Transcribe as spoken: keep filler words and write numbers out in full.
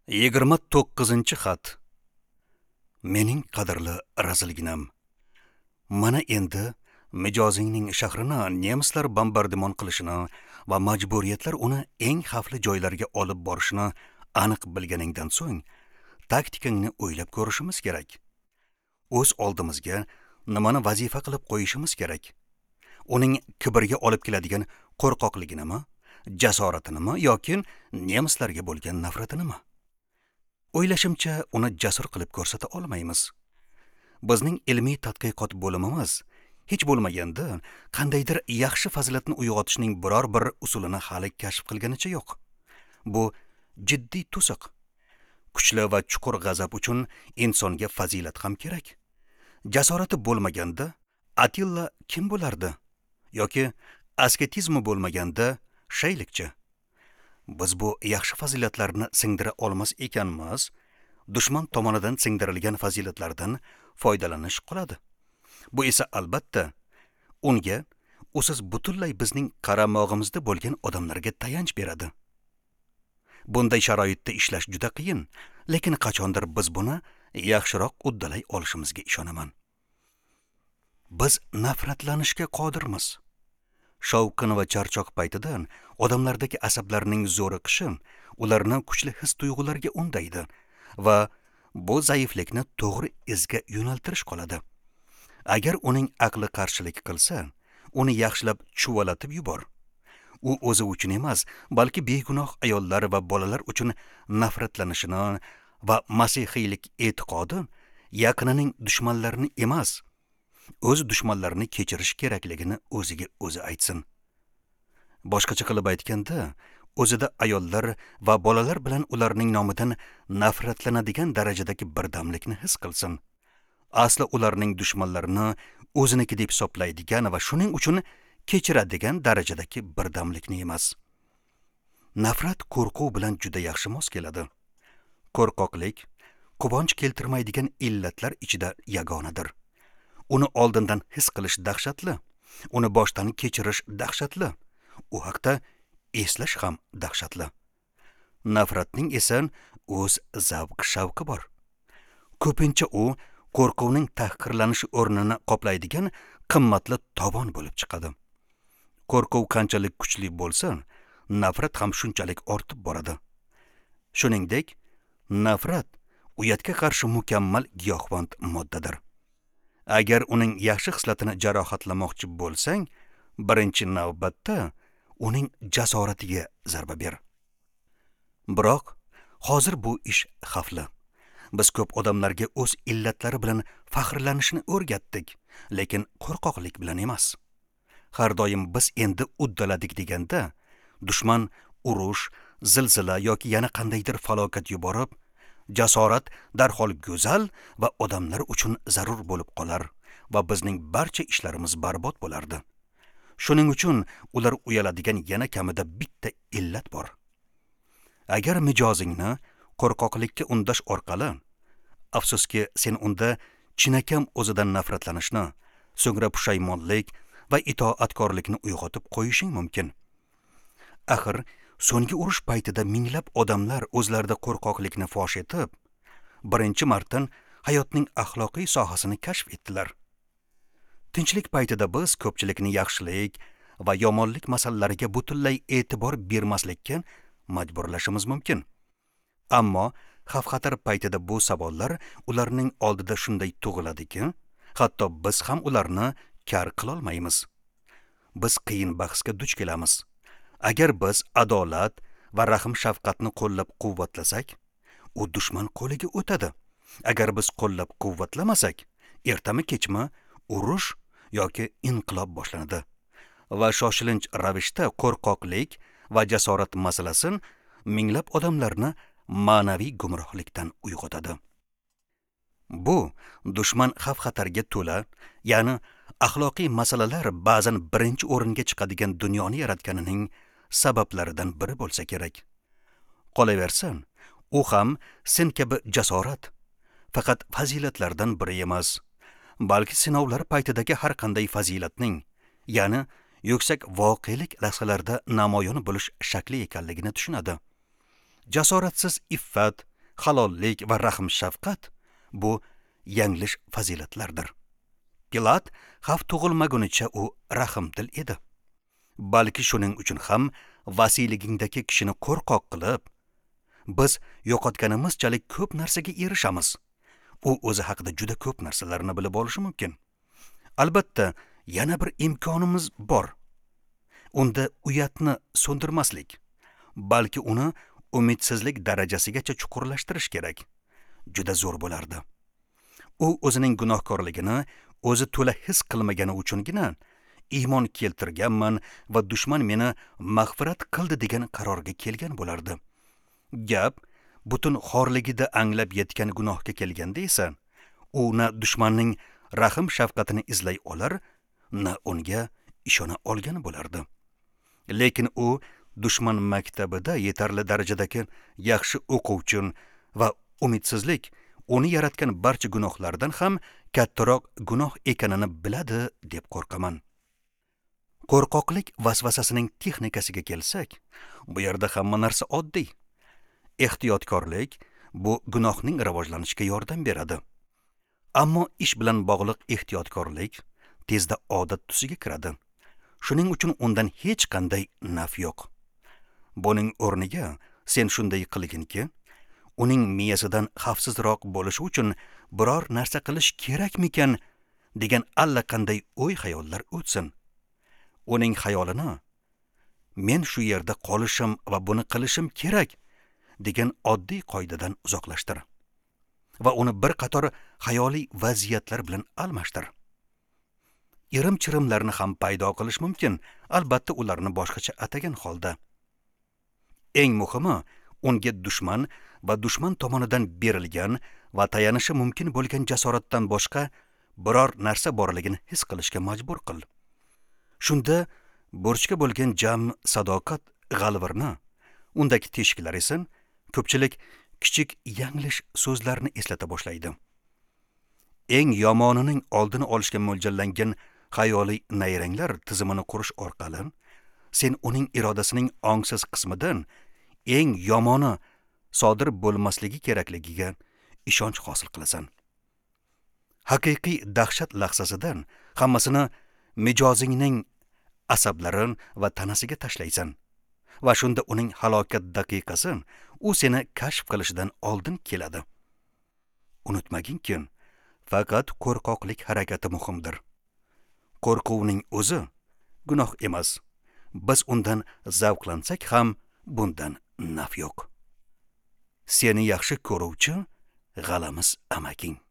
Yigirma to'qqizinchi xat. Mening qadrli razilginam, mana endi mijozingning shahrini nemislar bombardimon qilishini va majburiyatlar uni eng xavfli joylarga olib borishini aniq bilganingdan so'ng taktikangni o'ylab ko'rishimiz kerak. O'z oldimizga nimani vazifa qilib qo'yishimiz kerak? Uning kibrga olib keladigan qo'rqoqliginimi, jasoratinimi yoki nemislarga bo'lgan nafratinimi? O'ylashimcha, uni jasur qilib ko'rsata olmaymiz. Bizning ilmiy tadqiqot bo'limimiz hech bo'lmaganda qandaydir yaxshi fazilatni uyg'otishning biror bir usulini hali kashf qilganicha yo'q. Bu jiddiy to'siq. Kuchli va chuqur g'azab uchun insonga fazilat ham kerak. Jasorati bo'lmaganda Atilla kim bo'lardi? Yoki asketizmi bo'lmaganda shaylikchi? Biz bu yaxshi fazilatlarni singdira olmas ekanmiz, dushman tomonidan singdirilgan fazilatlardan foydalanish qoladi. Bu esa albatta unga usiz butunlay bizning qaramog'imizda bo'lgan odamlarga tayanch beradi. Bunday sharoitda ishlash juda qiyin, lekin qachondir biz buni yaxshiroq uddalay olishimizga ishonaman. Biz nafratlanishga qodirmiz. Shovqin va charchoq paytidan odamlardagi asablarning zo'riqishi ularni kuchli his-tuyg'ularga undaydi va bu zaiflikni to'g'ri izga yo'naltirish qoladi. Agar uning aqli qarshilik qilsa, uni yaxshilab chuvalatib yubor. U o'zi uchun emas, balki begunoh ayollar va bolalar uchun nafratlanishini va masihiylik e'tiqodi yaqinining dushmanlarini emas, o'z dushmanlarini kechirish kerakligini o'ziga o'zi aytsin. Boshqacha qilib aytganda, o'zida ayollar va bolalar bilan ularning nomidan nafratlanadigan darajadagi birdamlikni his qilsin. Asli ularning dushmanlarini o'ziniki deb hisoblaydigan va shuning uchun kechiradigan darajadagi birdamlikni emas. Nafrat qo'rquv bilan juda yaxshi mos keladi. Qo'rqoqlik quvonch keltirmaydigan illatlar ichida yagonadir. Uni oldindan his qilish dahshatli, uni boshdan kechirish dahshatli, u haqda eslash ham dahshatli. Nafratning esa o'z zavq-shavqi bor. Ko'pincha u qo'rquvning tahqirlanishi o'rnini qoplaydigan qimmatli tovon bo'lib chiqadi. Qo'rquv qanchalik kuchli bo'lsa, nafrat ham shunchalik ortib boradi. Shuningdek, nafrat uyatga qarshi mukammal giyohvand moddadir. Agar uning yaxshi xislatini jarohatlamoqchi bo'lsang, birinchi navbatda uning jasoratiga zarba ber. Biroq hozir bu ish xavfli. Biz ko'p odamlarga o'z illatlari bilan faxrlanishni o'rgatdik, lekin qo'rqoqlik bilan emas. Har doim biz endi uddaladik deganda, dushman urush, zilzila yoki yana qandaydir falokat yuborib, jasorat darhol go'zal va odamlar uchun zarur bo'lib qolar va bizning barcha ishlarimiz barbod bo'lardi. Shuning uchun ular uyaladigan yana kamida bitta illat bor. Agar mijozingni qo'rqoqlikka undash orqali, afsuski sen unda chinakam o'zidan nafratlanishni, so'ngra pushaymonlik va itoatkorlikni uyg'otib qo'yishing mumkin. Axir so'nggi urush paytida minglab odamlar o'zlarida qo'rqoqlikni fosh etib, birinchi marta hayotning axloqiy sohasini kashf etdilar. Tinchlik paytida biz ko'pchilikni yaxshilik va yomonlik masalalariga butunlay e'tibor bermaslikka majburlashimiz mumkin. Ammo xavf-xatar paytida bu savollar ularning oldida shunday tug'iladiki, hatto biz ham ularni kar qilolmaymiz. Biz qiyin bahsga duch kelamiz. Agar biz adolat va rahm-shafqatni qo'llab-quvvatlasak, u dushman qo'liga o'tadi. Agar biz qo'llab-quvvatlamasak, ertami-kechmi urush yoki inqilob boshlanadi. Va shoshilinch ravishda qo'rqoqlik va jasorat masalasi minglab odamlarni ma'naviy gumrohlikdan uyg'otadi. Bu dushman xavf-xatarga to'la, ya'ni axloqiy masalalar ba'zan birinchi o'ringa chiqadigan dunyoni yaratganining sabablaridan biri bo'lsa kerak. Qolaversin, u ham sen kabi jasorat faqat fazilatlardan biri emas, balki sinovlar paytidagi har qanday fazilatning, ya'ni yuksak voqelik lahzalarida namoyon bo'lish shakli ekanligini tushunadi. Jasoratsiz iffat Halollik va rahm shafqat bu yanglish fazilatlardir. Pilat xavf tug'ilmagunicha u rahmdil edi. Balki shuning uchun ham vasiyligingdagi kishini qo'rqoq qilib, biz yo'qotganimizchalik ko'p narsaga erishamiz. U o'zi haqida juda ko'p narsalarni bilib olishi mumkin. Albatta, yana bir imkonimiz bor. Unda uyatni so'ndirmaslik, balki uni umidsizlik darajasigacha chuqurlashtirish kerak. Juda zo'r bo'lardi. U o'zining gunohkorligini o'zi to'la his qilmagani uchungina iymon keltirganman va dushman meni mag'firat qildi degan qarorga kelgan bo'lardi. Gap butun xorligida anglab yetgan gunohga kelganda esa, u na dushmanning rahm shafqatini izlay olar, na unga ishona olgan bo'lardi. Lekin u dushman maktabida yetarli darajadagi yaxshi o'quvchi va umidsizlik uni yaratgan barcha gunohlardan ham kattaroq gunoh ekanini biladi deb qo'rqaman. Qo'rqoqlik vasvasasining texnikasiga kelsak, bu yerda hamma narsa oddiy. Ehtiyotkorlik bu gunohning rivojlanishiga yordam beradi. Ammo ish bilan bog'liq ehtiyotkorlik tezda odat tusiga kiradi. Shuning uchun undan hech qanday naf yo'q. Buning o'rniga sen shunday qilginki, uning miyasidan xavfsizroq bo'lishi uchun biror narsa qilish kerakmikan degan allaqanday o'y-xayollar o'tsin. Uning xayolini men shu yerda qolishim va buni qilishim kerak degan oddiy qoidadan uzoqlashtir va uni bir qator xayoliy vaziyatlar bilan almashtir. Irim-chirimlarni ham paydo qilish mumkin, albatta ularni boshqacha atagan holda. Eng muhimi, unga dushman va dushman tomonidan berilgan va tayanishi mumkin bo'lgan jasoratdan boshqa biror narsa borligini his qilishga majbur qil. Shunda burchga bo'lgan jam sadoqat g'alvirni, undagi teshiklar esa ko'pchilik kichik yanglish so'zlarni eslata boshlaydi. Eng yomonining oldini olishga mo'ljallangan xayoliy nayranglar tizimini qurish orqali sen uning irodasining ongsiz qismidan eng yomoni sodir bo'lmasligi kerakligiga ishonch hosil qilasan. Haqiqiy dahshat lahzasidan hammasini mijozingning asablari va tanasiga tashlaysan va shunda uning halokat daqiqasi u seni kashf qilishidan oldin keladi. Unutmaginki, faqat qo'rqoqlik harakati muhimdir. Qo'rquvning o'zi gunoh emas. Biz undan zavqlansak ham bundan naf yo'q. Seni yaxshi ko'ruvchi g'alamis amaking.